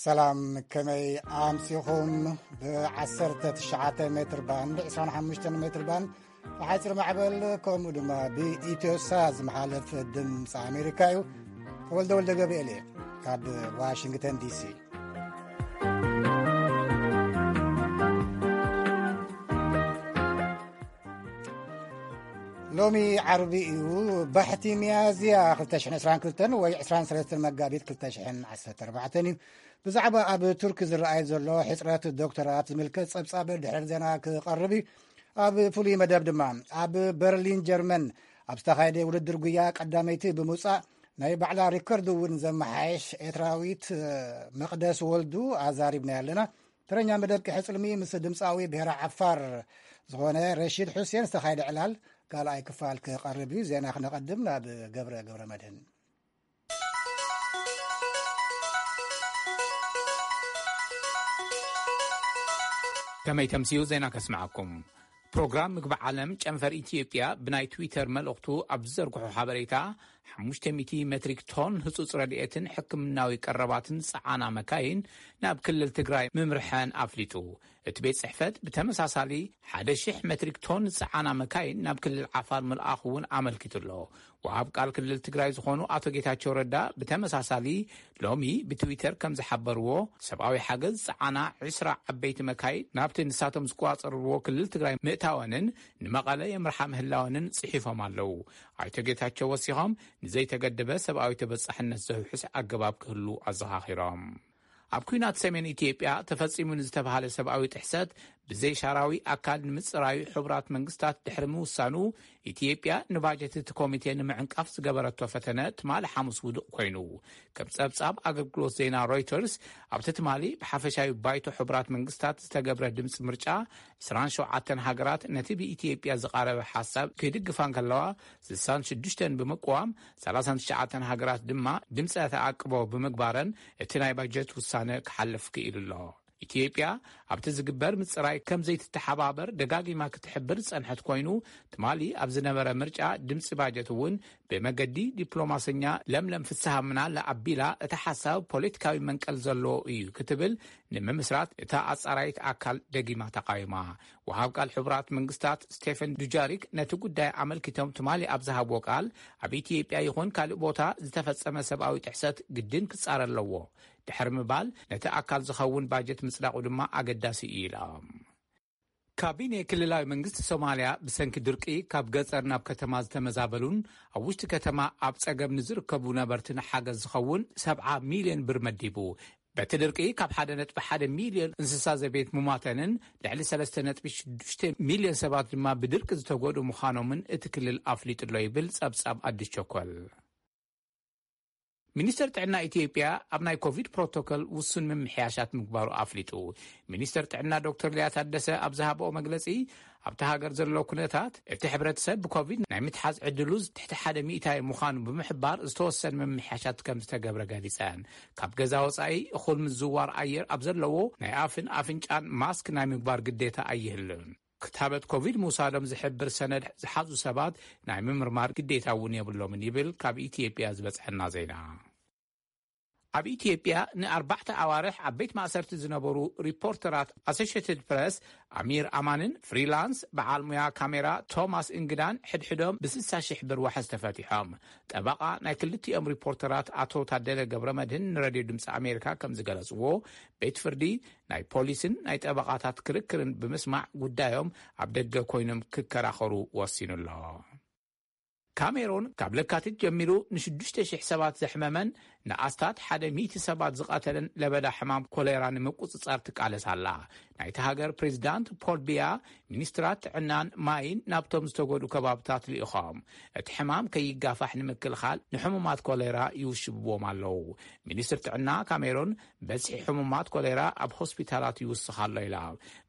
ሰላም፣ ከመይ ኣምሲኹም? ብ19 ሜትር ባንድ፣ 25 ሜትር ባንድ ብሓፂር ማዕበል፣ ከምኡ ድማ ብኢትዮሳ ዝመሓለፍ ድምፂ ኣሜሪካ እዩ። ተወልደ ወልደ ገብርኤል እየ ካብ ዋሽንግተን ዲሲ። ሎሚ ዓርቢ እዩ፣ ባሕቲ ሚያዝያ 2022 ወይ 23 መጋቢት 2014 እዩ። ብዛዕባ ኣብ ቱርኪ ዝረኣይ ዘሎ ሕፅረት ዶክተራት ዝምልከት ጸብጻብ ድሕሪ ዜና ክቐርብ እዩ። ኣብ ፍሉይ መደብ ድማ፣ ኣብ በርሊን ጀርመን ኣብ ዝተኻየደ ውድድር ጉያ ቀዳመይቲ ብምውጻእ ናይ ባዕላ ሪከርድ እውን ዘመሓየሽ ኤርትራዊት መቕደስ ወልዱ ኣዛሪብና ኣለና። ተረኛ መደብ ቅሐ ጽልሚ ምስ ድምፃዊ ብሔራ ዓፋር ዝኾነ ረሺድ ሑሴን ዝተኻየደ ዕላል ካልኣይ ክፋል ክቐርብ እዩ። ዜና ክነቐድም ናብ ገብረ ገብረ መድህን። ከመይ ተምስዩ ዜና ከስምዓኩም። ፕሮግራም ምግቢ ዓለም ጨንፈር ኢትዮጵያ ብናይ ትዊተር መልእኽቱ ኣብ ዝዘርግሖ ሓበሬታ፣ 500 ሜትሪክ ቶን ህጹጽ ረድኤትን ሕክምናዊ ቀረባትን ዝጸዓና መካይን ናብ ክልል ትግራይ ምምርሐን ኣፍሊጡ። እቲ ቤት ጽሕፈት ብተመሳሳሊ 1,000 ሜትሪክ ቶን ዝጸዓና መካይን ናብ ክልል ዓፋር ምልኣኹ እውን ኣመልኪቱ ኣሎ። ወሃብ ቃል ክልል ትግራይ ዝኾኑ ኣቶ ጌታቸው ረዳ ብተመሳሳሊ ሎሚ ብትዊተር ከም ዝሓበርዎ፣ ሰብኣዊ ሓገዝ ዝጸዓና 20 ዓበይቲ መካይን ናብቲ ንሳቶም ዝቆጻጸርዎ ክልል ትግራይ ምእታወንን ንመቐለ የምርሓ ምህላወንን ጽሒፎም ኣለዉ። ኣይቶ ጌታቸው ወሲኾም፣ ንዘይተገደበ ሰብኣዊ ተበጻሕነት ዘውሕስ ኣገባብ ክህሉ ኣዘኻኺሮም። ኣብ ኲናት ሰሜን ኢትዮጵያ ተፈጺሙ ንዝተባሃለ ሰብኣዊ ጥሕሰት ብዘይ ሻራዊ ኣካል ንምጽራዩ ሕቡራት መንግስታት ድሕሪ ምውሳኑ፣ ኢትዮጵያ ንባጀት እቲ ኮሚቴ ንምዕንቃፍ ዝገበረቶ ፈተነ ትማሊ ሓሙስ ውዱቕ ኮይኑ። ከም ጸብጻብ ኣገልግሎት ዜና ሮይተርስ፣ ኣብቲ ትማሊ ብሓፈሻዊ ባይቶ ሕቡራት መንግስታት ዝተገብረ ድምፂ ምርጫ፣ 27 ሃገራት ነቲ ብኢትዮጵያ ዝቐረበ ሓሳብ ክድግፋ እንከለዋ፣ 66 ብምቅዋም፣ 39 ሃገራት ድማ ድምፂ ተኣቅቦ ብምግባረን እቲ ናይ ባጀት ውሳነ ክሓልፍ ክኢሉ ኣሎ። ኢትዮጵያ ኣብቲ ዝግበር ምጽራይ ከም ዘይትተሓባበር ደጋጊማ ክትሕብር ዝጸንሐት ኮይኑ፣ ትማሊ ኣብ ዝነበረ ምርጫ ድምጺ ባጀት እውን ብመገዲ ዲፕሎማሰኛ ለምለም ፍስሃ ምናለ ኣቢላ፣ እቲ ሓሳብ ፖለቲካዊ መንቀል ዘለዎ እዩ ክትብል፣ ንምምስራት እታ ኣጻራይት ኣካል ደጊማ ተቃዊማ። ወሃብ ቃል ሕቡራት መንግስታት ስቴፈን ዱጃሪክ ነቲ ጉዳይ ኣመልኪቶም ትማሊ ኣብ ዝሃብዎ ቃል፣ ኣብ ኢትዮጵያ ይኹን ካልእ ቦታ ዝተፈጸመ ሰብኣዊ ጥሕሰት ግድን ክጻረ ኣለዎ ድሕሪ ምባል፣ ነቲ ኣካል ዝኸውን ባጀት ምጽዳቑ ድማ ኣገዳሲ እዩ ኢሎም። ካቢኔ ክልላዊ መንግስቲ ሶማልያ ብሰንኪ ድርቂ ካብ ገጸር ናብ ከተማ ዝተመዛበሉን ኣብ ውሽጢ ከተማ ኣብ ጸገም ንዝርከቡ ነበርትን ሓገዝ ዝኸውን 70 ሚልዮን ብር መዲቡ። በቲ ድርቂ ካብ 1.1 ሚልዮን እንስሳ ዘቤት ምሟተንን ልዕሊ 3.6 ሚልዮን ሰባት ድማ ብድርቂ ዝተጎድኡ ምዃኖምን እቲ ክልል ኣፍሊጡ ኣሎ ይብል ጸብጻብ ኣዲስ ቸኮል። ሚኒስተር ጥዕና ኢትዮጵያ ኣብ ናይ ኮቪድ ፕሮቶኮል ውሱን ምምሕያሻት ምግባሩ ኣፍሊጡ። ሚኒስተር ጥዕና ዶክተር ሊያ ታደሰ ኣብ ዝሃበኦ መግለጺ፣ ኣብቲ ሃገር ዘሎ ኩነታት እቲ ሕብረተሰብ ብኮቪድ ናይ ምትሓዝ ዕድሉ ትሕቲ ሓደ ሚእታዊ ምዃኑ ብምሕባር፣ ዝተወሰነ ምምሕያሻት ከም ዝተገብረ ገሊጸን። ካብ ገዛ ወጻኢ እኹል ምዝዋር ኣየር ኣብ ዘለዎ ናይ ኣፍን ኣፍንጫን ማስክ ናይ ምግባር ግዴታ ኣይህልን። ክታበት ኮቪድ ምውሳዶም ዝሕብር ሰነድ ዝሓዙ ሰባት ናይ ምምርማር ግዴታ እውን የብሎምን ይብል ካብ ኢትዮጵያ ዝበጽሐና ዜና። ኣብ ኢትዮጵያ ንኣርባዕተ ኣዋርሕ ኣብ ቤት ማእሰርቲ ዝነበሩ ሪፖርተራት ኣሶሽየትድ ፕረስ ኣሚር ኣማንን ፍሪላንስ በዓል ሙያ ካሜራ ቶማስ እንግዳን ሕድሕዶም ብ60 ሺሕ ብር ዋሕስ ተፈቲሖም። ጠበቓ ናይ ክልቲኦም ሪፖርተራት ኣቶ ታደለ ገብረ መድህን ንሬድዮ ድምፂ ኣሜሪካ ከም ዝገለፅዎ፣ ቤት ፍርዲ ናይ ፖሊስን ናይ ጠበቓታት ክርክርን ብምስማዕ ጉዳዮም ኣብ ደገ ኮይኖም ክከራኸሩ ወሲኑ ኣሎ። ካሜሮን ካብ ለካቲት ጀሚሩ ን6,000 ሰባት ዘሕመመን ንኣስታት ሓደ ሚእቲ ሰባት ዝቐተለን ለበዳ ሕማም ኮሌራ ንምቁጽጻር ትቃለስ ኣላ። ናይቲ ሃገር ፕሬዚዳንት ፖል ቢያ፣ ሚኒስትራት ጥዕናን ማይን ናብቶም ዝተጎድኡ ከባብታት ልኢኾም፣ እቲ ሕማም ከይጋፋሕ ንምክልኻል ንሕሙማት ኮሌራ ይውሽብዎም ኣለዉ። ሚኒስትር ጥዕና ካሜሮን፣ በዝሒ ሕሙማት ኮሌራ ኣብ ሆስፒታላት ይውስኽ ኣሎ ኢላ።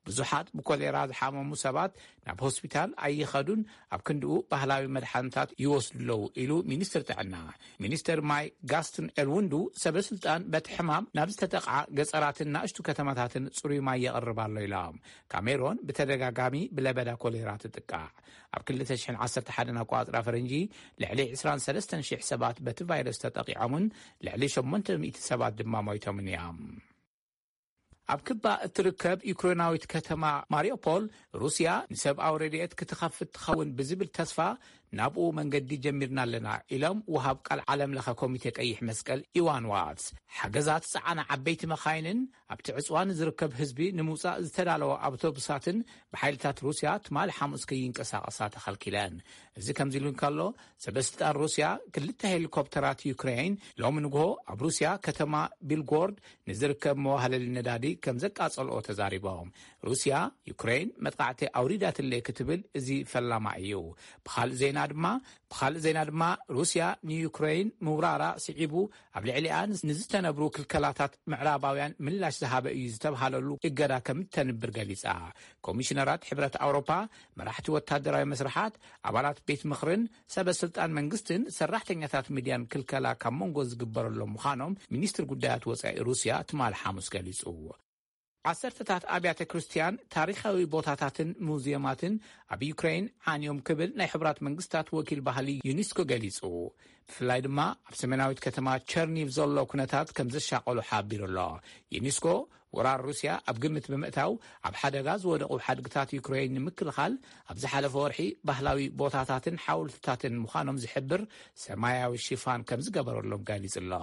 ብዙሓት ብኮሌራ ዝሓመሙ ሰባት ናብ ሆስፒታል ኣይኸዱን፣ ኣብ ክንድኡ ባህላዊ መድሓኒታት ይወስዱ ኣለዉ ኢሉ ሚኒስትር ጥዕና። ሚኒስትር ማይ ጋስትን ኤልውንዱ፣ ሰበ ስልጣን በቲ ሕማም ናብ ዝተጠቕዓ ገጸራትን ናእሽቱ ከተማታትን ጽሩይ ማይ የቕርብ ኣሎ ኢሎም። ካሜሮን ብተደጋጋሚ ብለበዳ ኮሌራ ትጥቃዕ። ኣብ 2011 ኣቋጽራ ፈረንጂ ልዕሊ 23,000 ሰባት በቲ ቫይረስ ተጠቂዖምን ልዕሊ 800 ሰባት ድማ ሞይቶምን እዮም። ኣብ ክባ እትርከብ ዩክሬናዊት ከተማ ማሪዮፖል፣ ሩስያ ንሰብኣዊ ረድኤት ክትኸፍት ትኸውን ብዝብል ተስፋ ናብኡ መንገዲ ጀሚርና ኣለና ኢሎም ወሃብ ቃል ዓለም ለኸ ኮሚቴ ቀይሕ መስቀል ኢዋን ዋትስ። ሓገዛት ጸዓና ዓበይቲ መኻይንን ኣብቲ ዕጽዋ ንዝርከብ ህዝቢ ንምውጻእ ዝተዳለወ ኣውቶቡሳትን ብሓይልታት ሩስያ ትማሊ ሓሙስ ከይንቀሳቐሳ ተኸልኪለን። እዚ ከምዚ ኢሉ እንከሎ፣ ሰበስልጣን ሩስያ ክልተ ሄሊኮፕተራት ዩክሬን ሎሚ ንግሆ ኣብ ሩስያ ከተማ ቢልጎርድ ንዝርከብ መዋህለሊ ነዳዲ ከም ዘቃጸልኦ ተዛሪቦም። ሩስያ ዩክሬን መጥቃዕቲ ኣውሪዳትለይ ክትብል እዚ ፈላማ እዩ። ብኻልእ ዜና ድማ ብኻልእ ዜና ድማ ሩስያ ንዩክሬን ምውራራ ስዒቡ ኣብ ልዕሊኣ ንዝተነብሩ ክልከላታት ምዕራባውያን ምላሽ ዝሃበ እዩ ዝተብሃለሉ እገዳ ከም እተንብር ገሊጻ። ኮሚሽነራት ሕብረት ኣውሮፓ፣ መራሕቲ ወታደራዊ መስርሓት፣ ኣባላት ቤት ምኽርን ሰበ ስልጣን መንግስትን ሰራሕተኛታት ሚድያን ክልከላ ካብ መንጎ ዝግበረሎም ምዃኖም ሚኒስትር ጉዳያት ወጻኢ ሩስያ ትማሊ ሓሙስ ገሊጹ። ዓሰርተታት ኣብያተ ክርስቲያን፣ ታሪኻዊ ቦታታትን ሙዚየማትን ኣብ ዩክሬን ዓንዮም ክብል ናይ ሕቡራት መንግስታት ወኪል ባህሊ ዩኒስኮ ገሊጹ። ብፍላይ ድማ ኣብ ሰሜናዊት ከተማ ቸርኒቭ ዘሎ ኩነታት ከም ዘሻቐሎ ሓቢሩ ኣሎ። ዩኒስኮ ወራር ሩስያ ኣብ ግምት ብምእታው፣ ኣብ ሓደጋ ዝወደቑ ሓድግታት ዩክሬን ንምክልኻል ኣብ ዝሓለፈ ወርሒ ባህላዊ ቦታታትን ሓውልትታትን ምዃኖም ዝሕብር ሰማያዊ ሽፋን ከም ዝገበረሎም ገሊጹ ኣሎ።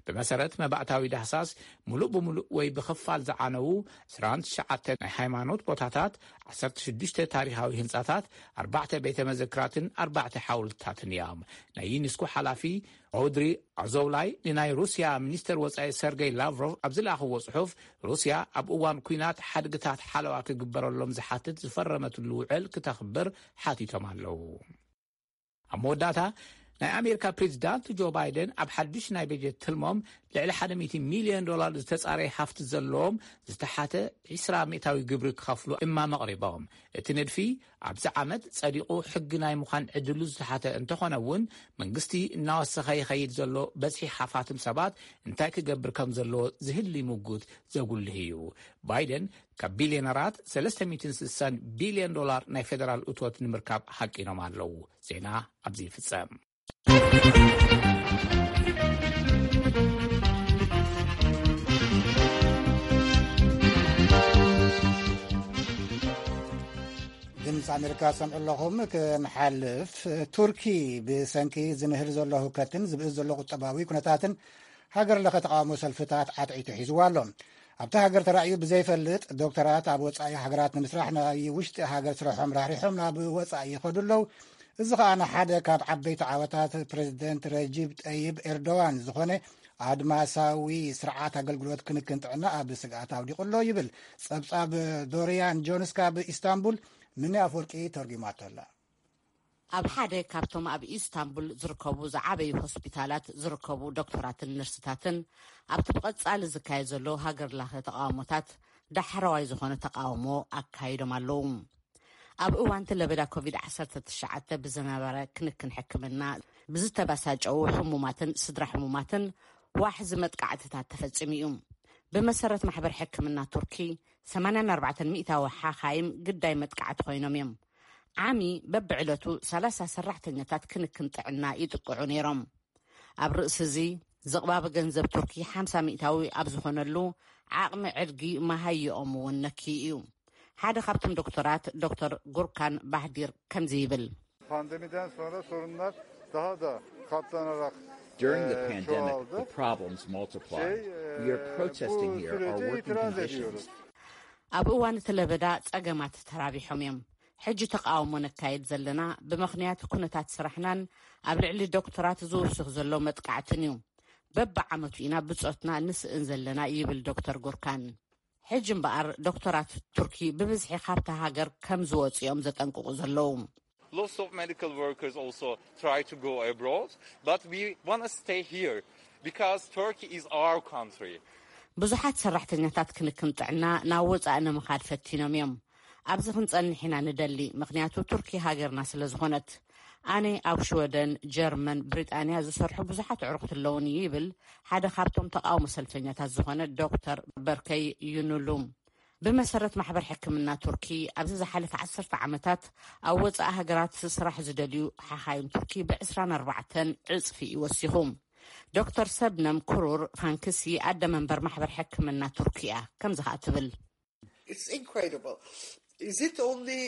ብመሰረት መባእታዊ ዳህሳስ፣ ምሉእ ብምሉእ ወይ ብኽፋል ዝዓነዉ ዕስራን ትሽዓተ ናይ ሃይማኖት ቦታታት፣ ዓሰርተ ሽዱሽተ ታሪኻዊ ህንጻታት፣ ኣርባዕተ ቤተ መዘክራትን ኣርባዕተ ሓውልትታትን እዮም። ናይ ዩኒስኮ ሓላፊ ኦድሪ ኣዞውላይ ንናይ ሩስያ ሚኒስተር ወጻኢ ሰርገይ ላቭሮቭ ኣብ ዝለኣኽዎ ጽሑፍ፣ ሩስያ ኣብ እዋን ኲናት ሓድግታት ሓለዋ ክግበረሎም ዝሓትት ዝፈረመትሉ ውዕል ክተኽብር ሓቲቶም ኣለዉ። ኣብ መወዳእታ፣ ናይ ኣሜሪካ ፕሬዚዳንት ጆ ባይደን ኣብ ሓድሽ ናይ በጀት ትልሞም ልዕሊ ሓደ ሚእቲ ሚልዮን ዶላር ዝተጻረየ ሃፍቲ ዘለዎም ዝተሓተ ዕስራ ሚእታዊ ግብሪ ክኸፍሉ እማመ ኣቕሪቦም። እቲ ንድፊ ኣብዚ ዓመት ጸዲቑ ሕጊ ናይ ምዃን ዕድሉ ዝተሓተ እንተኾነ እውን፣ መንግስቲ እናወሰኸ ይኸይድ ዘሎ በዝሒ ሃፋትም ሰባት እንታይ ክገብር ከም ዘለዎ ዝህሊ ምጉት ዘጉልህ እዩ። ባይደን ካብ ቢልዮነራት ሰለስተ ሚእትን ስሳን ቢልዮን ዶላር ናይ ፌደራል እቶት ንምርካብ ሃቂኖም ኣለዉ። ዜና ኣብዚ ይፍጸም። ድምፂ ኣሜሪካ ሰምዑ ኣለኹም። ክንሓልፍ፣ ቱርኪ ብሰንኪ ዝንህር ዘሎ ህውከትን ዝብእስ ዘሎ ቁጠባዊ ኩነታትን ሃገር ለኸ ተቃውሞ ሰልፍታት ዓትዒቱ ሒዝዋ ኣሎ። ኣብታ ሃገር ተራእዩ ብዘይፈልጥ፣ ዶክተራት ኣብ ወጻኢ ሃገራት ንምስራሕ ናይ ውሽጢ ሃገር ስርሖም ራሕሪሖም ናብ ወጻኢ ይኸዱ ኣለዉ። እዚ ኸኣ ንሓደ ካብ ዓበይቲ ዓወታት ፕሬዚደንት ረጂብ ጠይብ ኤርዶዋን ዝኾነ ኣድማሳዊ ስርዓት ኣገልግሎት ክንክን ጥዕና ኣብ ስግኣት ኣውዲቑ ኣሎ ይብል። ጸብጻብ ዶሪያን ጆንስ ካብ ኢስታንቡል፣ ምኒ ኣፍወርቂ ተርጒማቶ ኣላ። ኣብ ሓደ ካብቶም ኣብ ኢስታንቡል ዝርከቡ ዝዓበዩ ሆስፒታላት ዝርከቡ ዶክተራትን ነርስታትን፣ ኣብቲ ብቐጻሊ ዝካየድ ዘሎ ሃገር ለኸ ተቃውሞታት ዳሕረዋይ ዝኾነ ተቃውሞ ኣካይዶም ኣለዉ። ኣብ እዋን እቲ ለበዳ ኮቪድ ዓሰርተ ትሽዓተ ብዝነበረ ክንክን ሕክምና ብዝተባሳጨዉ ሕሙማትን ስድራ ሕሙማትን ዋሕዚ መጥቃዕትታት ተፈጺሙ እዩ። ብመሰረት ማሕበር ሕክምና ቱርኪ፣ ሰማንያን ኣርባዕተን ሚእታዊ ሓኻይም ግዳይ መጥቃዕቲ ኮይኖም እዮም። ዓሚ በብዕለቱ ሰላሳ ሰራሕተኛታት ክንክን ጥዕና ይጥቅዑ ነይሮም። ኣብ ርእሲ እዚ፣ ዝቕባበ ገንዘብ ቱርኪ ሓምሳ ሚእታዊ ኣብ ዝኾነሉ፣ ዓቕሚ ዕድጊ መሃይኦም እውን ነክዩ እዩ። ሓደ ካብቶም ዶክተራት፣ ዶክተር ጉርካን ባህዲር፣ ከምዚ ይብል። Pandemiden sonra sorunlar daha da katlanarak During the e, pandemic, çoğaldı. The problems multiplied. Şey, e, We are protesting bu here our sürece working itiraz conditions. Ediyoruz. ኣብ እዋን እቲ ለበዳ ጸገማት ተራቢሖም እዮም። ሕጂ ተቃውሞ ነካይድ ዘለና ብምኽንያት ኩነታት ስራሕናን ኣብ ልዕሊ ዶክተራት ዝውስኽ ዘሎ መጥቃዕትን እዩ። በብዓመቱ ኢና ብጾትና ንስእን ዘለና፣ ይብል ዶክተር ጉርካን። ሕጂ እምበኣር ዶክተራት ቱርኪ ብብዝሒ ካብታ ሃገር ከም ዝወጹ እዮም ዘጠንቅቑ ዘለዉ። Lots of medical workers also try to go abroad, but we want to stay here because Turkey is our country. ብዙሓት ሰራሕተኛታት ክንክን ጥዕና ናብ ወጻኢ ንምኻድ ፈቲኖም እዮም። ኣብዚ ክንጸንሕ ኢና ንደሊ፣ ምኽንያቱ ቱርኪ ሃገርና ስለ ዝኾነት። ኣነ ኣብ ሽወደን፣ ጀርመን፣ ብሪጣንያ ዝሰርሑ ብዙሓት ኣዕሩኽቲ ኣለዉኒ፣ ይብል ሓደ ካብቶም ተቃውሞ ሰልፈኛታት ዝኾነ ዶክተር በርከይ ዩኑሉም። ብመሰረት ማሕበር ሕክምና ቱርኪ፣ ኣብዚ ዝሓለፈ ዓሰርተ ዓመታት ኣብ ወጻኢ ሃገራት ስራሕ ዝደልዩ ሓኻይም ቱርኪ ብዕስራን ኣርባዕተን ዕጽፊ እዩ ወሲኹ። ዶክተር ሰብነም ክሩር ፋንክሲ ኣደ መንበር ማሕበር ሕክምና ቱርኪ እያ። ከምዚ ኸኣ ትብል። It's incredible. Is it only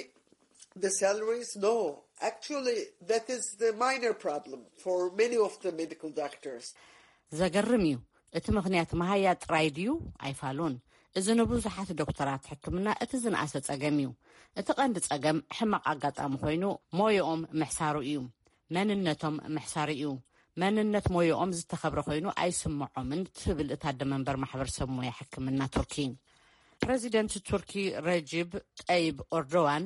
the salaries? No. Actually, that is the minor problem for many of the medical doctors. ዘገርም እዩ። እቲ ምኽንያት መሃያ ጥራይ ድዩ? ኣይፋሉን። እዚ ንብዙሓት ዶክተራት ሕክምና እቲ ዝነኣሰ ጸገም እዩ። እቲ ቀንዲ ጸገም ሕማቕ ኣጋጣሚ ኮይኑ ሞይኦም ምሕሳሩ እዩ። መንነቶም ምሕሳሩ እዩ። መንነት ሞይኦም ዝተኸብረ ኮይኑ ኣይስምዖምን ትብል እታ ኣደ መንበር ማሕበረሰብ ሞያ ሕክምና ቱርኪ። ፕረዚደንት ቱርኪ ረጅብ ጠይብ ኦርዶዋን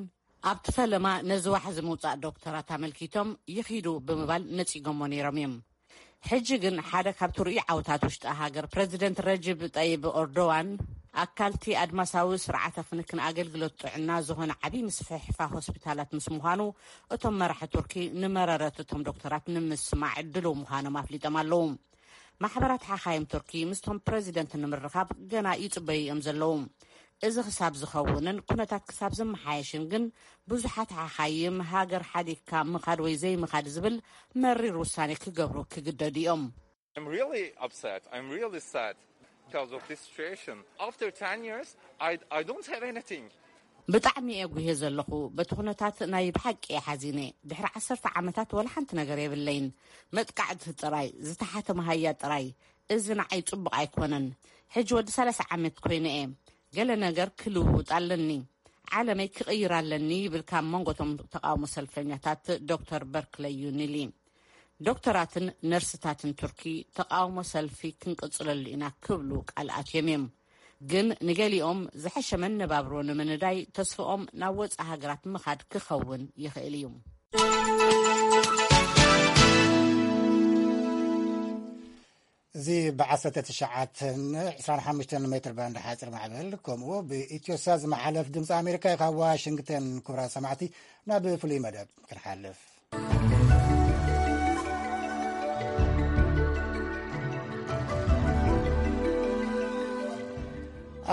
ኣብቲ ፈለማ ነዚ ዋሕዚ ምውጻእ ዶክተራት ኣመልኪቶም ይኺዱ ብምባል ነጺጎሞ ነይሮም እዮም። ሕጂ ግን ሓደ ካብቲ ርኡይ ዓወታት ውሽጢ ሃገር ፕረዚደንት ረጅብ ጠይብ ኦርዶዋን ኣካልቲ ኣድማሳዊ ስርዓተ ክንክን ኣገልግሎት ጥዕና ዝኾነ ዓብዪ ምስፍሕፋ ሆስፒታላት ምስ ምዃኑ እቶም መራሒ ቱርኪ ንመረረት እቶም ዶክተራት ንምስማዕ ድሉው ምዃኖም ኣፍሊጦም ኣለዉ። ማሕበራት ሓኻይም ቱርኪ ምስቶም ፕረዚደንት ንምርኻብ ገና ይጽበዩ እዮም ዘለዉ። እዚ ክሳብ ዝኸውንን ኩነታት ክሳብ ዝመሓየሽን ግን ብዙሓት ሓኻይም ሃገር ሓዲግካ ምኻድ ወይ ዘይምኻድ ዝብል መሪር ውሳኔ ክገብሩ ክግደዱ እዮም። I'm really upset. I'm really sad because of this situation. After ten years, I, I don't have anything. ብጣዕሚ እየ ጉሄ ዘለኹ። በቲ ኩነታት ናይ ብሓቂ እየ ሓዚነ። ድሕሪ ዓሰርተ ዓመታት ወላ ሓንቲ ነገር የብለይን። መጥቃዕቲ ጥራይ፣ ዝተሓተ መሃያ ጥራይ። እዚ ንዓይ ጽቡቕ ኣይኮነን። ሕጂ ወዲ ሰላሳ ዓመት ኮይነ እየ። ገለ ነገር ክልውውጥ ኣለኒ። ዓለመይ ክቕይር ኣለኒ ይብል ካብ መንጎ እቶም ተቃውሞ ሰልፈኛታት ዶክተር በርክለይ ዩኒሊ። ዶክተራትን ነርስታትን ቱርኪ ተቃውሞ ሰልፊ ክንቅጽለሉ ኢና ክብሉ ቃል ኣትዮም እዮም። ግን ንገሊኦም ዝሐሸ መነባብሮ ንምንዳይ ተስፍኦም ናብ ወጻኢ ሃገራት ምኻድ ክኸውን ይኽእል እዩ። እዚ ብ19 25 ሜትር ባንድ ሓፂር ማዕበል ከምኡ ብኢትዮሳ ዝመሓለፍ ድምፂ ኣሜሪካ እዩ። ካብ ዋሽንግተን ክቡራት ሰማዕቲ ናብ ፍሉይ መደብ ክንሓልፍ።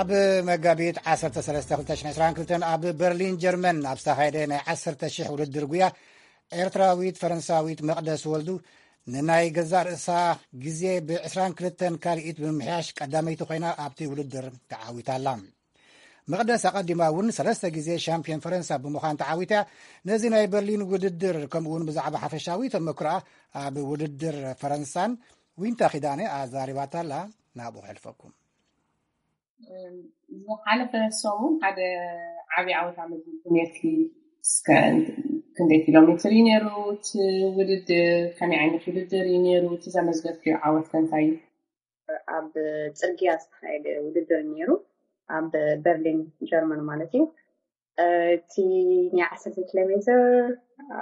ኣብ መጋቢት 13 2022 ኣብ በርሊን ጀርመን ኣብ ዝተኻየደ ናይ 10,000 ውድድር ጉያ ኤርትራዊት ፈረንሳዊት መቕደስ ወልዱ ንናይ ገዛእ ርእሳ ግዜ ብ22 ካልኢት ብምምሕያሽ ቀዳመይቲ ኮይና ኣብቲ ውድድር ተዓዊታ ኣላ። መቕደስ ኣቐዲማ እውን ሰለስተ ግዜ ሻምፒዮን ፈረንሳ ብምዃን ተዓዊታ። ነዚ ናይ በርሊን ውድድር ከምኡ እውን ብዛዕባ ሓፈሻዊ ተመክሮኣ ኣብ ውድድር ፈረንሳን ዊንታ ኪዳነ ኣዛሪባታ ኣላ። ናብኡ ከሕልፈኩም። ዝሓለፈ ሰሙን ሓደ ዓብዪ ዓወት ኣመዝጊብኩም ነርኪ። እስከ ክንደይ ኪሎ ሜትር እዩ ነይሩ እቲ ውድድር? ከመይ ዓይነት ውድድር እዩ ነይሩ? እቲ ዘመዝገብክዮ ዓወት ከ እንታይ እዩ? ኣብ ጽርግያ ዝተኻየደ ውድድር ነይሩ፣ ኣብ በርሊን ጀርመን ማለት እዩ። እቲ ናይ 10 ኪሎ ሜትር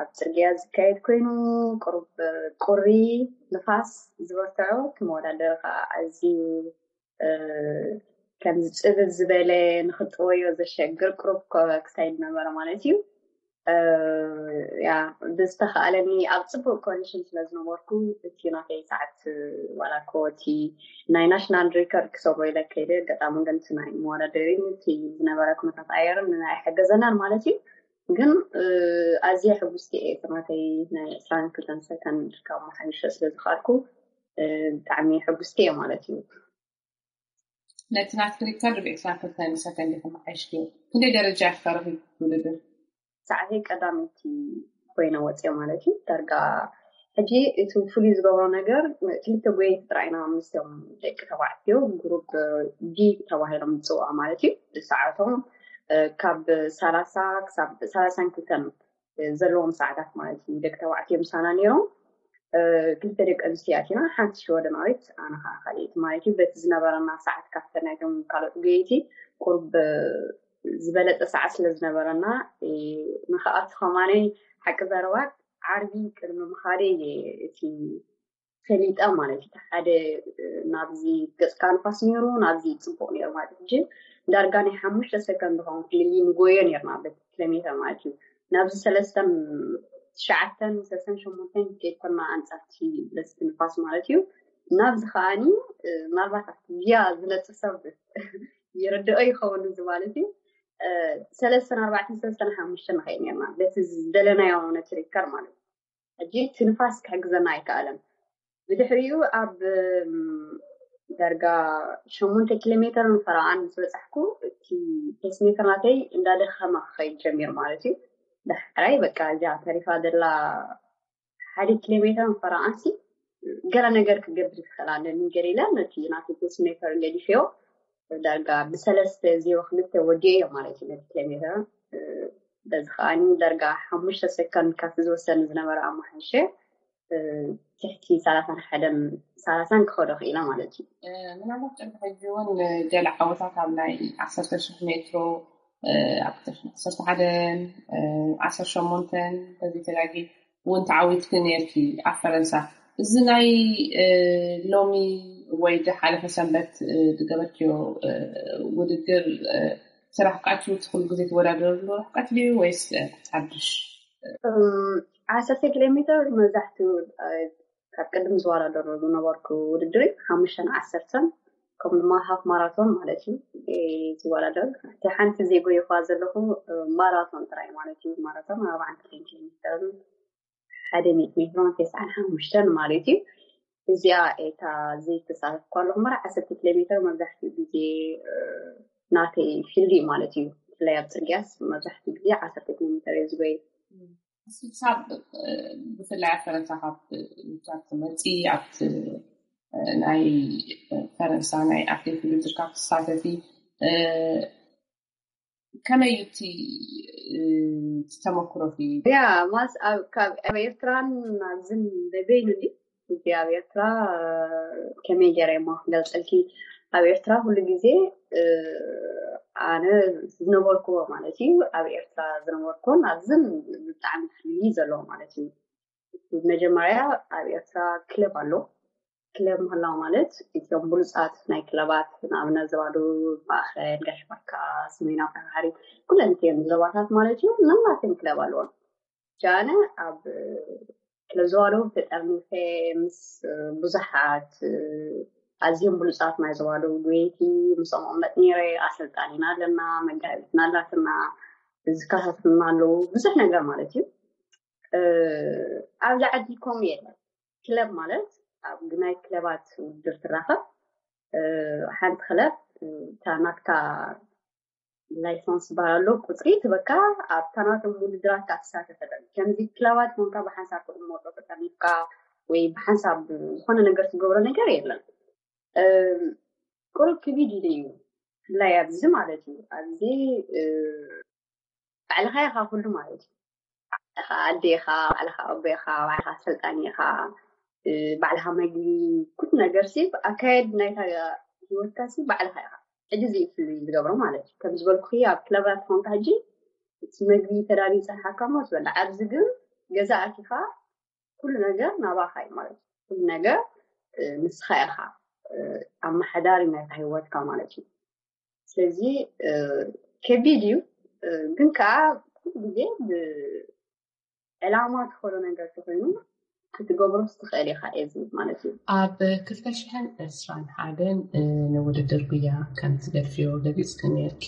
ኣብ ጽርግያ ዝካየድ ኮይኑ፣ ቁሩብ ቁሪ፣ ንፋስ ዝበርትዖ፣ እቲ መወዳደሪ ከዓ ኣዝዩ ከምዚ ጽብብ ዝበለ፣ ንኽጥወዮ ዘሸግር ቁሩብ ክሳይድ ነበረ ማለት እዩ። ያ ብዝተኻኣለኒ ኣብ ጽቡቕ ኮንዲሽን ስለ ዝነበርኩ፣ እቲ ናተይ ሰዓት ዋላ እኮ እቲ ናይ ናሽናል ሪከርድ ክሰብሮ ኢለ ከይደ። ኣጋጣሚ ግን እቲ ናይ መወዳደሪን እቲ ዝነበረ ኩነታት ኣየርን ኣይሓገዘናን ማለት እዩ። ግን ኣዝየ ሕጉስቲ እየ። እቲ ናተይ ናይ 22 ሰከንድ ካብ መሓይሾ ስለ ዝኸኣልኩ ብጣዕሚ ሕጉስቲ እየ ማለት እዩ። ነቲ ናትኪ ሪከርድ ብ22 ሰከንድ ኢኺ መሓይሽክዮ። ክንደይ ደረጃ ኢኺ ከ ረኺብኪ ውድድር? ሰዓተይ ቀዳመይቲ ኮይነ ወፅየ ማለት እዩ። ዳርጋ ሕጂ እቲ ፍሉይ ዝገብሮ ነገር ክልተ ጎየይቲ ጥራይ ኢና ምስቶም ደቂ ተባዕትዮ ግሩፕ ዲ ተባሂሎም ዝፅውዑ ማለት እዩ። ሰዓቶም ካብ ሰላሳ ክሳብ ሰላሳን ክልተን ዘለዎም ሰዓታት ማለት እዩ። ደቂ ተባዕትዮ ምሳና ነይሮም። ክልተ ደቂ ኣንስትዮ ኣቲና፣ ሓንቲ ሽወደናዊት ኣነ ከዓ ካልኣይቲ ማለት እዩ። በቲ ዝነበረና ሰዓት ካብተን ናይቶም ካልኦት ጎየይቲ ቁሩብ ዝበለፀ ሰዓት ስለ ዝነበረና ንክኣቱ ከማነይ ሓቂ ዘረባ ዓርቢ ቅድሚ ምኻደይ እየ እቲ ፈሊጠ ማለት እዩ። ሓደ ናብዚ ገፅካ ንፋስ ነይሩ፣ ናብዚ ፅቡቕ ነይሩ ማለት እዩ። ዳርጋ ናይ ሓሙሽተ ሰከንድ ኸውን ፍልልይ ንጎዮ ነይርና በቲ ኪሎ ሜትር ማለት እዩ። ናብዚ ሰለስተን ትሽዓተን ሰለስተን ሸሞንተን ከይኮና ኣንፃርቲ ለስቲ ንፋስ ማለት እዩ። ናብዚ ከዓኒ ምናልባት ኣብቲ ጊያ ዝነጥፍ ሰብ ይርድኦ ይኸውን እዚ ማለት እዩ። ሰለስተን ኣርባዕተን ሰለስተን ሓሙሽተን ንኸይድ ነርና በቲ ዝደለናዮ ነቲ ሪከር ማለት እዩ። ሕጂ እቲ ንፋስ ክሕግዘና ኣይከኣለን። ብድሕሪኡ ኣብ ዳርጋ ሸሞንተ ኪሎ ሜተር ንፈረቓን ምስ በፃሕኩ፣ እቲ ፔስሜከር ናተይ እንዳደኸመ ክኸይድ ጀሚሩ ማለት እዩ። ዳሕራይ በቃ እዚኣ ተሪፋ ዘላ ሓደ ኪሎ ሜተር ንፈረቓንሲ ገለ ነገር ክገብር ይኽእል ኣለኒ ገለ ኢለ ነቲ ናተይ ፔስሜከር ገዲፈዮ። ዳርጋ ብሰለስተ ዜሮ ክልተ ወዲኤዮ ማለት እዩ ነቲ ኪሎ ሜተር። በዚ ከዓኒ ዳርጋ ሓሙሽተ ሰከንድ ካብቲ ዝወሰኒ ዝነበረ ኣማሓይሸ ትሕቲ ሰላሳን ሓደን ሰላሳን ክኸዶ ክኢለ ማለት እዩ። ምናልባት ቅድሚ ሕጂ እውን ገለ ዓወታት ኣብ ናይ ዓሰርተ ሽሕ ሜትሮ ኣብ ክልተ ሽሕን ዓሰርተ ሓደን ዓሰርተ ሸሞንተን በዚ ተጋጊ እውን ተዓዊትኪ ነርኪ ኣብ ፈረንሳ። እዚ ናይ ሎሚ ወይ ዝሓለፈ ሰንበት ዝገበርክዮ ውድድር ስራሕ ቃችሁ ኩሉ ግዜ ትወዳደርሉ ርሕቀት ድዩ ወይስ ሓድሽ? ዓሰርተ ኪሎ ሜትር መብዛሕትኡ ካብ ቅድም ዝወዳደሩ ዝነበርኩ ውድድር ሓሙሽተን ዓሰርተን ከምኡ ድማ ሃፍ ማራቶን ማለት እዩ ዝወዳደር። እቲ ሓንቲ ዘይጎየኳ ዘለኹ ማራቶን ጥራይ ማለት እዩ። ማራቶን ኣርባዓን ክልተን ኪሎ ሜተርን ሓደ ሚእቲ ሜትሮን ተስዓን ሓሙሽተን ማለት እዩ። እዚኣ እታ ዘይተሳተፍኳ ኣለኹ እምበር ዓሰርተ ኪሎ ሜተር መብዛሕትኡ ግዜ ናተይ ፊልድ እዩ ማለት እዩ። ብፍላይ ኣብ ፅርግያስ መብዛሕትኡ ግዜ ዓሰርተ ኪሎ ሜተር እየ ዝጎይ። ክሳብ ብፍላይ ኣብ ፈረንሳ ካብ ውድድራት ትመፂ ኣብቲ ናይ ፈረንሳ ናይ ኣትሌት ውድድር ካብ ትሳተፊ ከመይ እዩ እቲ ተመክሮኪ? ያ ማስ ካብ ኤርትራን ኣብዝን በበይኑ ዲ እዚ ኣብ ኤርትራ ከመይ ገይረ እሞ ክገልፀልኪ? ኣብ ኤርትራ ኩሉ ግዜ ኣነ ዝነበርኩዎ ማለት እዩ። ኣብ ኤርትራ ዝነበርኩን ኣብዝን ብጣዕሚ ፍልይ ዘለዎ ማለት እዩ። መጀመርያ ኣብ ኤርትራ ክለብ ኣሎ። ክለብ ምህላው ማለት እቶም ብሉፃት ናይ ክለባት ንኣብነት ዘባዶ፣ ማእኸል፣ ጋሽ ባርካ፣ ሰሜናዊ ባሕሪ ኩለን እተን ዞባታት ማለት እዩ። ነናተን ክለብ ኣለዎም። ጃነ ኣብ ክለብ ዘባዶ ተጠርኒፈ ምስ ብዙሓት ኣዝዮም ብሉፃት ናይ ዘባዶ ጎየይቲ ምስኦም እቕመጥ ነይረ። ኣሰልጣኒና ኣለና፣ መጋቢትና ኣላትና፣ ዝከታተሉና ኣለዉ። ብዙሕ ነገር ማለት እዩ። ኣብዚ ዓዲ ከምኡ የለን። ክለብ ማለት ኣብ ናይ ክለባት ውድድር ትራኸብ። ሓንቲ ክለብ እታ ናትካ ላይሰንስ ዝበሃል ኣሎ፣ ቁፅሪ ትበካ ኣብታ ናቶም ውድድራት ትሳተፈለን። ከምዚ ክለባት ኮንካ ብሓንሳብ ክትመርጦ ተጠሚፍካ ወይ ብሓንሳብ ዝኾነ ነገር ትገብሮ ነገር የለን። ቁሩብ ክቢድ ኢሉ እዩ ብፍላይ ኣብዚ ማለት እዩ። ኣብዚ ባዕልኻ ኢኻ ኩሉ ማለት እዩ። ባዕልኻ ኣደ ኢኻ፣ ባዕልኻ ኣቦ ኢኻ፣ ባዕልኻ ኣሰልጣኒ ኢኻ፣ ባዕልኻ መግቢ፣ ኩሉ ነገር ሲ ኣካየድ ናይታ ህይወትካ ሲ ባዕልኻ ኢኻ። ሕጂ እዚ እዩ ፍልይ ዝገብሮ ማለት እዩ። ከም ዝበልኩ ኣብ ክለባት ኮንካ ሕጂ እቲ መግቢ ተዳልዩ ይፀንሓካ እሞ ትበልዕ። ኣብዚ ግን ገዛ ኣቲኻ ኩሉ ነገር ናባኻ እዩ ማለት እዩ። ኩሉ ነገር ንስኻ ኢኻ ኣመሓዳሪ ናይታ ህይወትካ ማለት እዩ። ስለዚ ከቢድ እዩ፣ ግን ከዓ ኩሉ ግዜ ብዕላማ ትኸዶ ነገር ተኮይኑ ክትገብሮ ትኽእል ኢኻ እዚ ማለት እዩ። ኣብ ክልተ ሽሕን ዕስራን ሓደን ንውድድር ጉያ ከም ትገድፍዮ ገሊፅኪ ነርኪ።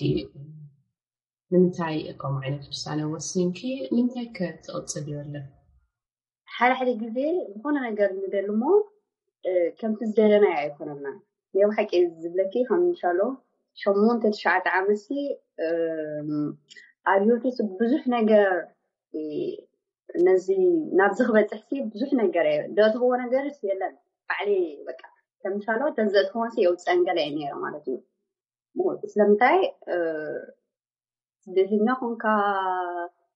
ንምንታይ ከምኡ ዓይነት ውሳነ ወሲንኪ? ንምንታይ ከ ትቕፅልዮ ኣለኪ? ሓደ ሓደ ግዜ ዝኾነ ነገር ንደሊ እሞ ከምቲ ዝደለናዮ ኣይኮነና። ናይ ብሓቂ ዝብለኪ ከም ምሻሎ ሸሞንተ ትሽዓተ ዓመትሲ ኣብ ህይወተይ ብዙሕ ነገር ነዚ ናብዚ ክበፅሕሲ ብዙሕ ነገር እየ ደትህዎ ነገርስ የለን። ባዕሊ በቃ ከም ምሻሎ ተዘእትኸወንሲ የውፀን ገለ እየ ነይረ ማለት እዩ። ስለምንታይ ስደተኛ ኮንካ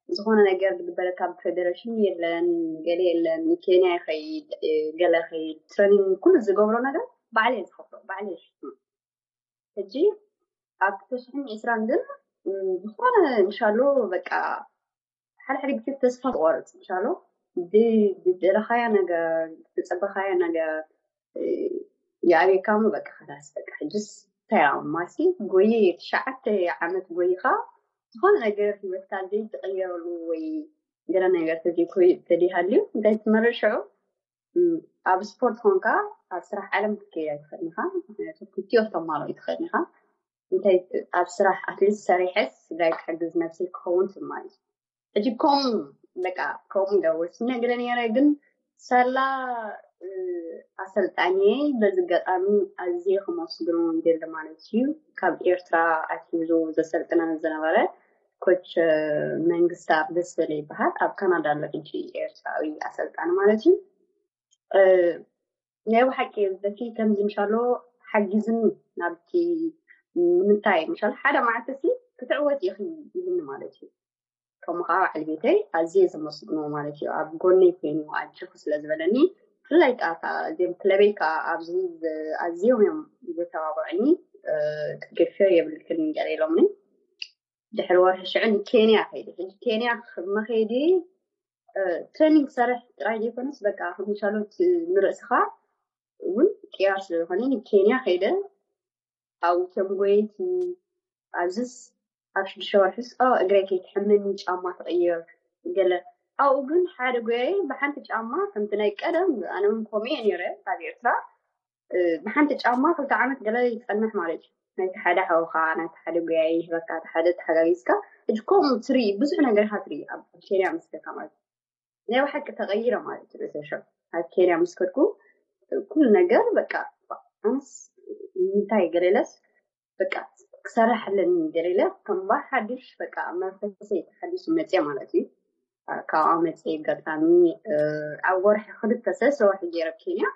ዝኾነ ነገር ዝግበረካ ብፌደሬሽን የለን፣ ገለ የለን። ኬንያ ይኸይድ፣ ገለ ይኸይድ፣ ትሬኒንግ ኩሉ ዝገብሮ ነገር ባዕለ ዝኸፍሎ ባዕለ ይሽፍኖ። ሕጂ ኣብ ክልተ ሽሕን ዕስራን ግን ዝኾነ እንሻሎ በቃ ሓደ ሓደ ግዜ ተስፋ ትቆርፅ እንሻሎ ብደለኻያ ነገር ብፀበኻያ ነገር የኣበካ እሞ በቃ ከላስ በቃ ሕጅስ እንታይ ኣማሲ ጎየ ትሽዓተ ዓመት ጎይኻ ዝኾነ ነገር ህይወትካ ዘይትቕየረሉ ወይ ገለ ነገር ተዘይኮይ ተደይሃልዩ እንታይ ትመርሽ ሽዑ ኣብ ስፖርት ኾንካ ኣብ ስራሕ ዓለም ክትከይድ ኣይትኽእልን ኢኻ። ምክንያቱ ክልቲኦ ክተማልኦ ኣይትኽእልን ኢኻ። እንታይ ኣብ ስራሕ ኣትሊስት ሰሪሐስ ስድራይ ክሕግዝ ነብሰይ ክኸውን ትማሊ ሕጂ ከምኡ በቃ ከምኡ ኢለ ወሲነ ገለ ነይረ ግን ሳላ ኣሰልጣኒየይ በዚ ኣጋጣሚ ኣዝየ ከመስግኖ ይደሊ ማለት እዩ። ካብ ኤርትራ ኣትሒዙ ዘሰልጥነኒ ዝነበረ ኮች መንግስታብ ደስበለ ይበሃል። ኣብ ካናዳ ኣሎ ሕጂ፣ ኤርትራዊ ኣሰልጣኒ ማለት እዩ። ናይ ብሓቂ በቲ ከምዚ ምሻሎ ሓጊዝኒ ናብቲ ንምንታይ ምሻሎ ሓደ መዓልቲ ሲ ክትዕወት ኢኺ ይብልኒ ማለት እዩ። ከምኡ ከዓ በዓል ቤተይ ኣዝየ ዘመስግኖ ማለት እዩ። ኣብ ጎነይ ኮይኑ ኣጆኺ ስለ ዝበለኒ፣ ብፍላይ ከዓ እዚኦም ክለበይ ከዓ ኣብዚ ኣዝዮም እዮም ዘተባብዑኒ። ክትገድፍዮ የብልክን ገለ ኢሎምኒ። ድሕሪ ወርሒ ሽዑ ንኬንያ ከይደ። ሕጂ ኬንያ መኸይዲ ትሬኒንግ ክሰርሕ ጥራይ ዘይኮነስ በቃ ከም ሻሎት ንርእስኻ እውን ቅያር ስለዝኾነ ንኬንያ ከይደ። ኣብቶም ጎየይቲ ኣብዝስ ኣብ ሽዱሽተ ወርሕስ እግረይ ከይትሕመኒ ጫማ ትቕይር ገለ። ኣብኡ ግን ሓደ ጎያይ ብሓንቲ ጫማ ከምቲ ናይ ቀደም፣ ኣነ እውን ከምኡ እየ ነይረ ኣብ ኤርትራ። ብሓንቲ ጫማ ክልተ ዓመት ገለ ይጸንሕ ማለት እዩ። ናይቲ ሓደ ሓውኻ፣ ናይቲ ሓደ ጎያይ ይህበካ፣ እቲ ሓደ ተሓጋጊዝካ። ሕጂ ከምኡ ትርኢ፣ ብዙሕ ነገር ኢኻ ትርኢ ኣብ ኬንያ ምስ ከድካ ማለት እዩ። ናይ ብሓቂ ተቐይረ ማለት እዩ። ርእሰ ሸው ኣብ ኬንያ ምስ ከድኩ ኩሉ ነገር በቃ ኣነስ እንታይ ገለለስ በቃ ክሰርሕ ኣለኒ ገለለ ከም ሓድሽ በቃ መንፈሰይ ተሓዲሱ መፅየ ማለት እዩ። ካብኣ መፅየ ኣጋጣሚ ኣብ ወርሒ ክልተ ሰለስተ ወርሒ ገይረ ኬንያ።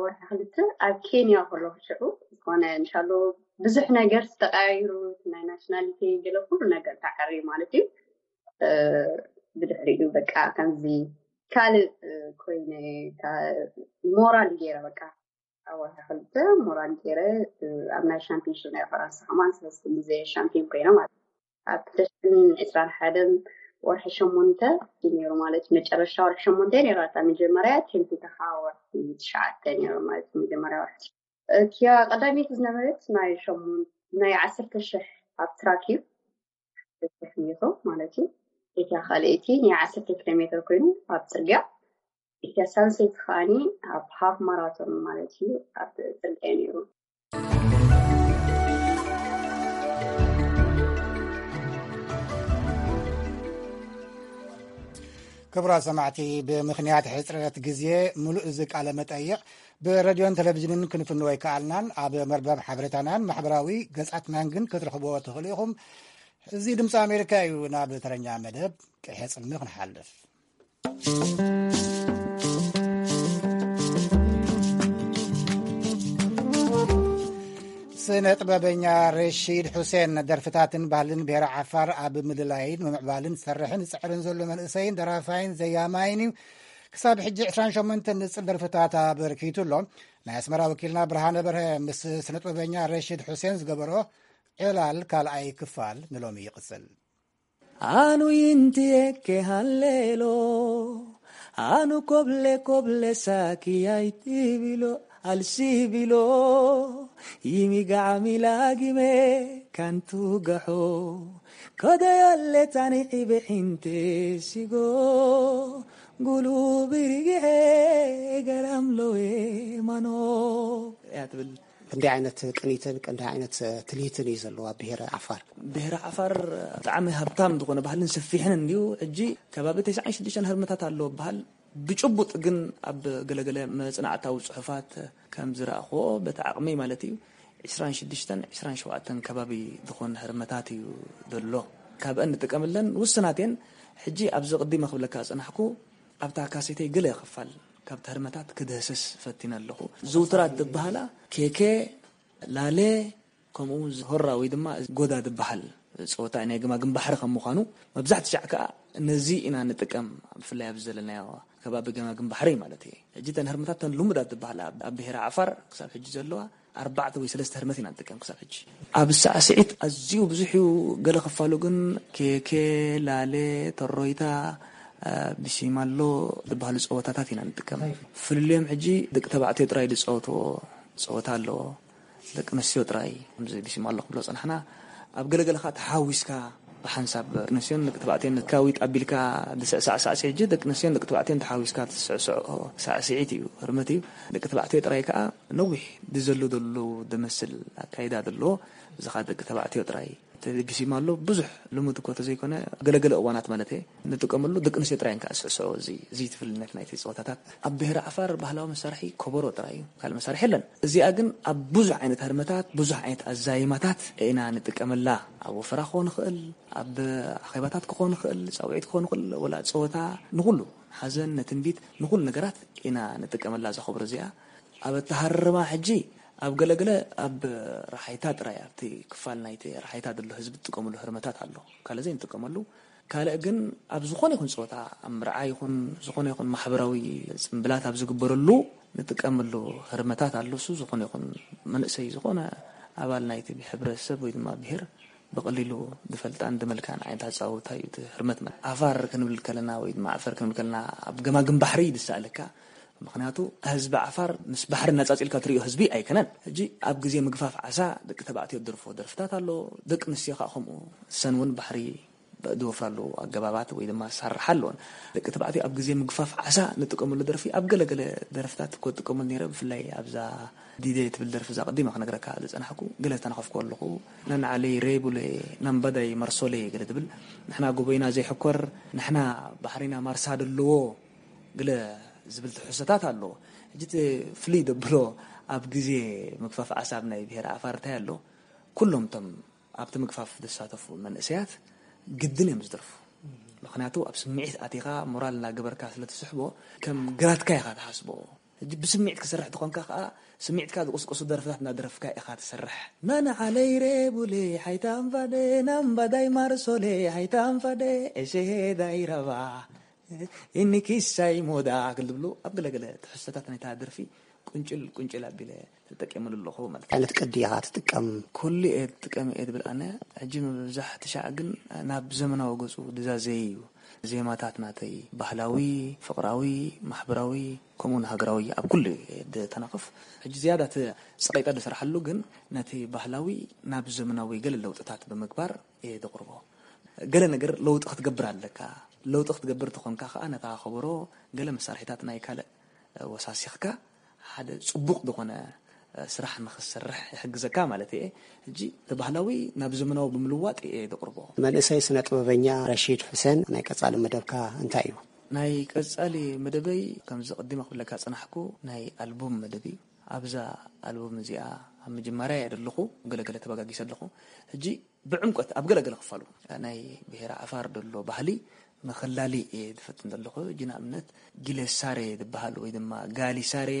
ወርሒ ክልተ ኣብ ኬንያ ከለኹ ሽዑ ዝኾነ እንሻሎ ብዙሕ ነገር ዝተቀያይሩ ናይ ናሽናሊቲ ገለ ኩሉ ነገር ተዓርዩ ማለት እዩ። ብድሕሪኡ በቃ ከምዚ ካልእ ኮይነ ሞራል ገይረ በቃ ኣብ ወርሒ ክልተ ሞራል ገይረ ኣብ ናይ ሻምፒዮንሽፕ ናይ ፈረንሳ ከማን ሰለስተ ግዜ ሻምፒዮን ኮይነ ማለት እዩ። ኣብ ክልተ ሽሕን ዕስራን ሓደን ወርሒ ሸሞንተ እዩ ነይሩ ማለት እዩ። መጨረሻ ወርሒ ሸሞንተ ነይራ እታ መጀመርያ ቴምፒ ተኻ ወርሒ ትሽዓተ ነይሩ ማለት እዩ። መጀመርያ ወርሒ እቲያ ቀዳመይቲ ዝነበረት ናይ ሸሞን ናይ ዓሰርተ ሽሕ ኣብ ትራክ እዩ። ዓሰርተ ሽሕ ሜትሮ ማለት እዩ። እቲያ ካልኣይቲ ናይ ዓሰርተ ኪሎ ሜትር ኮይኑ ኣብ ፅርግያ፣ እቲያ ሳልሰይቲ ከዓኒ ኣብ ሃፍ ማራቶን ማለት እዩ ኣብ ፅርግያ ነይሩ። ክቡራት ሰማዕቲ፣ ብምኽንያት ሕፅረት ግዜ ሙሉእ እዚ ቃለ መጠይቕ ብረድዮን ቴሌቪዥንን ክንፍንዎ ኣይከኣልናን። ኣብ መርበብ ሓበሬታናን ማሕበራዊ ገጻትናን ግን ክትረኽብዎ ትኽእሉ ኢኹም። እዚ ድምፂ ኣሜሪካ እዩ። ናብ ተረኛ መደብ ቅሔ ጽልሚ ክንሓልፍ። ስነ ጥበበኛ ረሺድ ሑሴን ደርፍታትን ባህልን ብሄረ ዓፋር ኣብ ምልላይን ምምዕባልን ዝሰርሕን ዝፅዕርን ዘሎ መንእሰይን ደራፋይን ዘያማይን እዩ። ክሳብ ሕጂ ዕስራን ሸሞንተን ንፅል ደርፍታት ኣበርኪቱ ኣሎ። ናይ ኣስመራ ወኪልና ብርሃነ በርሀ ምስ ስነ ጥበበኛ ረሺድ ሑሴን ዝገበሮ ዕላል ካልኣይ ክፋል ንሎሚ ይቕጽል። ኣኑ ይንትየኬ ሃሌሎ ኣኑ ኮብለ ኮብለ ሳኪ ኣይትቢሎ ኣልሲቢሎ ይሚጋዓሚ ላጊመ ካንቱ ገሖ ከደያለ ታኒዒ ብዒንቴ ሲጎ ጉሉ ብርግሐ ገራምሎዌ ማኖ እያ ትብል። ክንደይ ዓይነት ቅኒትን ክንደይ ዓይነት ትልሂትን እዩ ዘለዎ ኣብ ብሄረ ዓፋር? ብሄረ ዓፋር ብጣዕሚ ሃብታም ዝኾነ ባህልን ሰፊሕን እንድዩ። ሕጂ ከባቢ ተስዓን ሽዱሽተን ህርምታት ኣለዎ በሃል። ብጭቡጥ ግን ኣብ ገለገለ መጽናዕታዊ ጽሑፋት ከም ዝረኣኽዎ በቲ ዓቕመይ ማለት እዩ ዕስራን ሽዱሽተን ዕስራን ሸውዓተን ከባቢ ዝኾን ህርመታት እዩ ዘሎ። ካብአን ንጥቀምለን ውስናት እየን። ሕጂ ኣብዚ ቅዲመ ክብለካ ዝጸናሕኩ ኣብታ ካሴተይ ገለ ክፋል ካብቲ ህርመታት ክድህስስ ፈቲነ ኣለኹ። ዝውቱራት ዝበሃላ ኬኬ፣ ላሌ፣ ከምኡ እውን ሆራ ወይ ድማ ጎዳ ዝበሃል ፀወታ ናይ ገማግም ባሕሪ ከም ምዃኑ መብዛሕቲ ሻዕ ከዓ ነዚ ኢና ንጥቀም። ብፍላይ ኣብዚ ዘለናዮ ከባቢ ገማግም ባሕሪ ማለት እየ። ሕጂ እተን ህርምታት እተን ልሙዳት ዝበሃላ ኣብ ብሄረ ዓፋር ክሳብ ሕጂ ዘለዋ ኣርባዕተ ወይ ሰለስተ ህርመት ኢና ንጥቀም ክሳብ ሕጂ። ኣብ ሳዕስዒት ኣዝዩ ብዙሕ እዩ። ገለ ክፋሉ ግን ኬኬ፣ ላሌ፣ ተሮይታ፣ ቢሲማሎ ዝበሃሉ ፀወታታት ኢና ንጥቀም። ፍልልዮም ሕጂ ደቂ ተባዕትዮ ጥራይ ዝፃወትዎ ፀወታ ኣለዎ። ደቂ ኣንስትዮ ጥራይ ከምዚ ቢሲማሎ ክብሎ ፀናሕና። ኣብ ገለገለ ከዓ ተሓዊስካ ብሓንሳብ ደቂ ኣንስትዮን ደቂ ተባዕትዮን ካዊጥ ኣቢልካ ዝስዕሳዕ ሳዕስዒት ሕጂ ደቂ ኣንስትዮን ደቂ ተባዕትዮን ተሓዊስካ ትስዕስዖ ሳዕስዒት እዩ፣ ህርመት እዩ። ደቂ ተባዕትዮ ጥራይ ከዓ ነዊሕ ድዘሉ ደሉ ድመስል ኣካይዳ ዘለዎ እዚ ከዓ ደቂ ተባዕትዮ ጥራይ። ተደጊሲማ ኣሎ። ብዙሕ ልሙድ እኮ ተዘይኮነ፣ ገለገለ እዋናት ማለት እየ፣ ንጥቀመሉ። ደቂ ኣንስትዮ ጥራይ እንካ ስዕስዖ፣ እዚ፣ እዚ ትፍልነት ናይቲ ጸወታታት። ኣብ ብሄረ ዓፋር ባህላዊ መሳርሒ ኮቦሮ ጥራይ እዩ። ካልእ መሳርሒ የለን። እዚኣ ግን ኣብ ብዙሕ ዓይነት ህርመታት፣ ብዙሕ ዓይነት ኣዛይማታት ኢና ንጥቀመላ። ኣብ ወፈራ ክኾን ይኽእል፣ ኣብ ኣኼባታት ክኾን ይኽእል፣ ጻውዒት ክኾን ይኽእል፣ ወላ ጸወታ፣ ንኹሉ፣ ሓዘን፣ ንትንቢት፣ ንኹሉ ነገራት ኢና ንጥቀመላ እዛ ኮቦሮ እዚኣ። ኣብ ኣተሃርማ ሕጂ ኣብ ገለገለ ኣብ ረሓይታ ጥራይ፣ ኣብቲ ክፋል ናይቲ ረሓይታ ዘሎ ህዝቢ ዝጥቀመሉ ህርመታት ኣሎ። ካልእ ዘይንጥቀመሉ። ካልእ ግን ኣብ ዝኾነ ይኹን ጸወታ፣ ኣብ መርዓ ይኹን ዝኾነ ይኹን ማሕበራዊ ጽምብላት ኣብ ዝግበረሉ ንጥቀመሉ ህርመታት ኣሎ። እሱ ዝኾነ ይኹን መንእሰይ፣ ዝኾነ ኣባል ናይቲ ሕብረተሰብ ወይ ድማ ብሄር ብቐሊሉ ዝፈልጣን ዝመልካን ዓይነት ኣጻውታ እዩ እቲ ህርመት። ማለት ዓፋር ክንብል ከለና ወይ ድማ ዓፈር ክንብል ከለና ኣብ ገማግም ባሕሪ እዩ ዝሰኣለካ። ምኽንያቱ ህዝቢ ዓፋር ምስ ባሕሪ እናጻጺልካ ትርእዮ ህዝቢ ኣይከነን። ሕጂ ኣብ ግዜ ምግፋፍ ዓሳ ደቂ ተባዕትዮ ዝደርፍዎ ደርፍታት ኣሎ፣ ደቂ ኣንስትዮ ከዓ ከምኡ። እሰን እውን ባሕሪ ዝወፍራሉ ኣገባባት ወይ ድማ ዝሰርሓ ኣለዎን። ደቂ ተባዕትዮ ኣብ ግዜ ምግፋፍ ዓሳ ንጥቀመሉ ደርፊ ኣብ ገለገለ ደርፍታት እኮ ዝጥቀመሉ ነይረ፣ ብፍላይ ኣብዛ ዲደ ትብል ደርፊ እዛ ቀዲማ ክነግረካ ዝጸናሕኩ፣ ገለ ዝተናኸፍኩ ኣለኹ። ነንዓለይ ሬቡሌ፣ ናምባዳይ ማርሶሌ ገለ ትብል፣ ንሕና ጎቦይና ዘይሕኮር፣ ንሕና ባሕሪና ማርሳ ደለዎ፣ ገለ ዝብል ትሕዝቶታት ኣሎ። ሕጂ እቲ ፍልይ ደብሎ ኣብ ግዜ ምግፋፍ ዓሳ ኣብ ናይ ብሄረ ዓፋር እንታይ ኣሎ? ኩሎም እቶም ኣብቲ ምግፋፍ ዝሳተፉ መንእሰያት ግድን እዮም ዝደርፉ። ምኽንያቱ ኣብ ስምዒት ኣቲኻ ሞራል እናገበርካ ስለ ትስሕቦ ከም ግራትካ ኢኻ ትሓስቦ። ሕጂ ብስምዒት ክሰርሕ ተኾንካ ከኣ ስምዒትካ ዝቕስቅሱ ደርፍታት እናደረፍካ ኢኻ ትሰርሕ። ናና ዓለይ ሬቡሌ ሓይታ ኣንፋዴ ናምባዳይ ማርሶሌ ሓይታ ኣንፋዴ ኤሴሄ ዳይረባ እኒ ኪሳይ ሞዳ ክል ዝብሉ ኣብ ገለገለ ትሕዝቶታት ናይታ ደርፊ ቁንጭል ቁንጭል ኣቢለ ተጠቂመሉ ኣለኹ ማለት እዩ። ዓይነት ቅዲ ኢኻ ትጥቀም? ኩሉ እየ ትጥቀም እየ ዝብል ኣነ። ሕጂ ምብዛሕ ትሻዕ ግን ናብ ዘመናዊ ገጹ ዝዛዘየ እዩ። ዜማታት ናተይ ባህላዊ፣ ፍቕራዊ፣ ማሕበራዊ፣ ከምኡውን ሃገራዊ ኣብ ኩሉ እየ ዝተናኽፍ። ሕጂ ዝያዳ እቲ ጸቒጠ ዝሰርሓሉ ግን ነቲ ባህላዊ ናብ ዘመናዊ ገለ ለውጥታት ብምግባር እየ ዘቕርቦ። ገለ ነገር ለውጢ ክትገብር ኣለካ። ለውጢ ክትገብር ተኾንካ ከኣ ነታ ከበሮ ገለ መሳርሒታት ናይ ካልእ ወሳሲኽካ ሓደ ጽቡቕ ዝኾነ ስራሕ ንኽትሰርሕ ይሕግዘካ ማለት እየ። ሕጂ እቲ ባህላዊ ናብ ዘመናዊ ብምልዋጥ እየ ዘቕርቦ። መንእሰይ ስነ ጥበበኛ ረሺድ ሑሴን፣ ናይ ቀጻሊ መደብካ እንታይ እዩ? ናይ ቀጻሊ መደበይ ከምዚ ቀዲመ ክብለካ ጸናሕኩ ናይ ኣልቡም መደብ እዩ። ኣብዛ ኣልቡም እዚኣ ኣብ ምጅማርያ እየ ዘለኹ፣ ገለገለ ተበጋጊሰ ኣለኹ። ሕጂ ብዕምቆት ኣብ ገለገለ ክፋሉ ናይ ብሄረ ዓፋር ዘሎ ባህሊ ምኽላሊ እየ ዝፈትን ዘለኹ። ሕጂ ንኣብነት ጊሌሳሬ ዝበሃል ወይ ድማ ጋሊሳሬ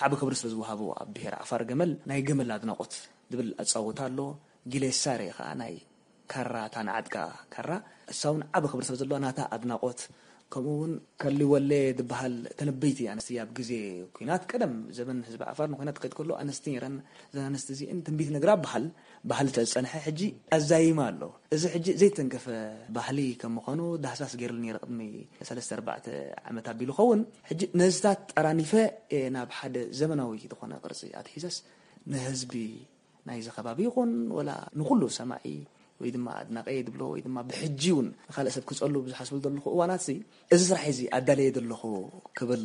ዓቢ ክብሪ ስለ ዝወሃቦ ኣብ ብሄረ ዓፋር ገመል ናይ ገመል ኣድናቖት ዝብል ኣጻውታ ኣሎ። ጊሌሳሬ ኸኣ ናይ ካራ፣ እታ ንዓጥቃ ካራ፣ እሳ እውን ዓቢ ክብሪ ስለ ዘለዋ ናታ ኣድናቖት፣ ከምኡ እውን ከሊወሌ ዝበሃል ተነበይቲ ኣንስቲ ኣብ ግዜ ኲናት ቀደም ዘበን ህዝቢ ዓፋር ንኲናት ክኸይድ ከሎ ኣንስቲ ነይረን። እዘን ኣንስቲ እዚአን ትንቢት ነግራ በሃል፣ ባህሊ ተዝጸንሐ ሕጂ ኣዛይማ ኣሎ። እዚ ሕጂ ዘይተንከፈ ባህሊ ከም ምዃኑ ዳህሳስ ገይርሉ ነይረ ቅድሚ ሰለስተ ኣርባዕተ ዓመት ኣቢሉ ኸውን። ሕጂ ነዚታት ጠራኒፈ እየ ናብ ሓደ ዘመናዊ ዝኾነ ቅርጺ ኣትሒዘስ ንህዝቢ ናይዚ ከባቢ ይኹን ወላ ንኹሉ ሰማዒ ወይ ድማ ኣድናቂ እየ ዝብሎ ወይ ድማ ብሕጂ እውን ንኻልእ ሰብ ክጸሉ ብዝሓስቡ ዘለኹ እዋናት እዚ ስራሕ እዚ ኣዳለየ ዘለኹ ክብል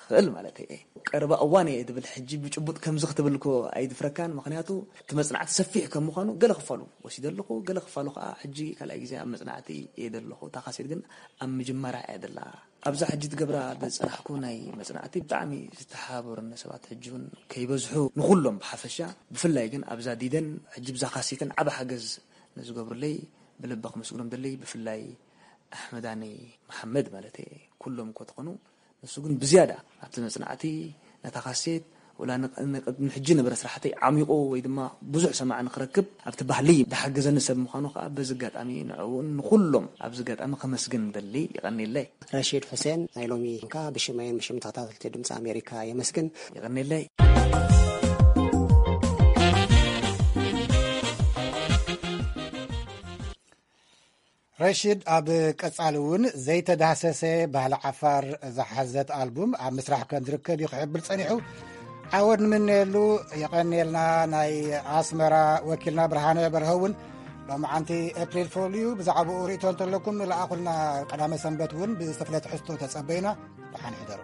ክእል ማለት እየ። ቀረባ እዋን እየ ዝብል ሕጂ ብጭቡጥ ከምዚ ክትብል እኮ ኣይድፍረካን። ምኽንያቱ እቲ መጽናዕቲ ሰፊሕ ከም ምዃኑ ገለ ክፋሉ ወሲደ ኣለኹ፣ ገለ ክፋሉ ከዓ ሕጂ ካልኣይ ግዜ ኣብ መጽናዕቲ እየ ዘለኹ። እታ ካሴት ግን ኣብ ምጅማራ እያ ዘላ። ኣብዛ ሕጂ ትገብራ ዝጸናሕኩ ናይ መጽናዕቲ ብጣዕሚ ዝተሓባበሩኒ ሰባት ሕጂ እውን ከይበዝሑ ንኹሎም ብሓፈሻ፣ ብፍላይ ግን ኣብዛ ዲደን ሕጂ ብዛ ካሴትን ዓቢ ሓገዝ ንዝገብሩለይ ብልቢ ክምስግኖም ደለይ፣ ብፍላይ ኣሕመዳኒ መሓመድ ማለት እየ። ኩሎም እኮ ትኾኑ፣ ንሱ ግን ብዝያዳ ኣብቲ መጽናዕቲ ነታ ካሴት ወላ ንቅ-፣ ንቅድሚ ሕጂ ነበረ ስራሕተይ ዓሚቑ ወይ ድማ ብዙሕ ሰማዒ ንክረክብ ኣብቲ ባህሊ ዝሓገዘኒ ሰብ ምዃኑ ከዓ በዚ ኣጋጣሚ ንዕኡ እውን ንኹሎም ኣብዚ ኣጋጣሚ ከመስግን ደሊ። ይቐንየለይ። ረሺድ ሑሴን፣ ናይ ሎሚ እንካ ብሽመይን ብሽም ተኸታተልቲ ድምፂ ኣሜሪካ የመስግን። ይቐንየለይ። ረሺድ ኣብ ቀጻሊ እውን ዘይተዳህሰሰ ባህሊ ዓፋር ዝሓዘት ኣልቡም ኣብ ምስራሕ ከም ዝርከብ እዩ ክሕብር ጸኒሑ። ዓወት ንምነየሉ። የቐንየልና። ናይ ኣስመራ ወኪልና ብርሃነ በርሀ እውን ሎማዓንቲ ኤፕሪል ፎል እዩ። ብዛዕባኡ ርእይቶ እንተለኩም ንለኣኹልና። ቀዳመ ሰንበት እውን ብዝተፍለ ትሕዝቶ ተጸበዩና። ደሓን ሕደሩ።